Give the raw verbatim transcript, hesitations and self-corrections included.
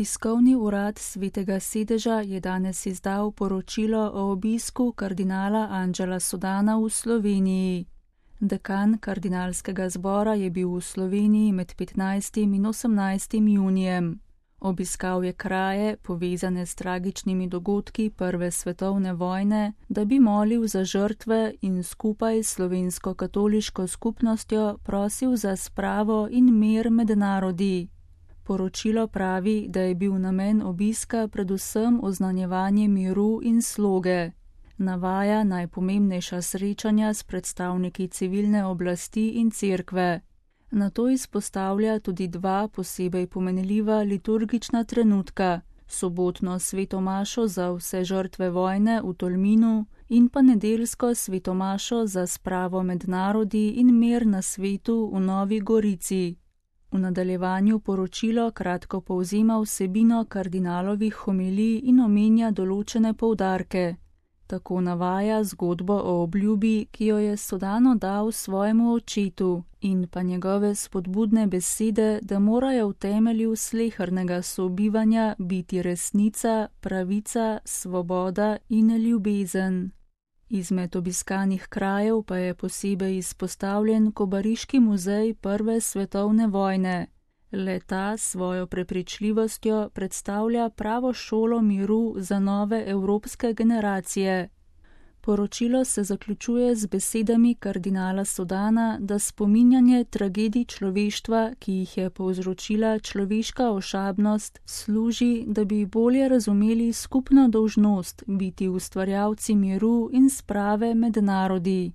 Tiskovni urad Svetega sedeža je danes izdal poročilo o obisku kardinala Angela Sodana v Sloveniji. Dekan kardinalskega zbora je bil v Sloveniji med petnajstim in osemnajstim junijem. Obiskal je kraje, povezane s tragičnimi dogodki Prve svetovne vojne, da bi molil za žrtve in skupaj s slovensko katoliško skupnostjo prosil za spravo in mir med narodi. Poročilo pravi, da je bil namen obiska predvsem oznanjevanje miru in sloge. Navaja najpomembnejša srečanja s predstavniki civilne oblasti in cerkve. Nato izpostavlja tudi dva posebej pomenljiva liturgična trenutka, sobotno svetomašo za vse žrtve vojne v Tolminu in pa nedeljsko svetomašo za spravo med narodi in mir na svetu v Novi Gorici. V nadaljevanju poročilo kratko povzema vsebino kardinalovih homilij in omenja določene poudarke. Tako navaja zgodbo o obljubi, ki jo je Sodano dal svojemu očetu, in pa njegove spodbudne besede, da morajo v temelju slehernega sobivanja biti resnica, pravica, svoboda in ljubezen. Izmed obiskanih krajev pa je posebej izpostavljen Kobariški muzej Prve svetovne vojne. Le-ta s svojo prepričljivostjo predstavlja pravo šolo miru za nove evropske generacije. Poročilo se zaključuje z besedami kardinala Sodana, da spominjanje tragedij človeštva, ki jih je povzročila človeška ošabnost, služi, da bi bolje razumeli skupno dolžnost biti ustvarjalci miru in sprave med narodi.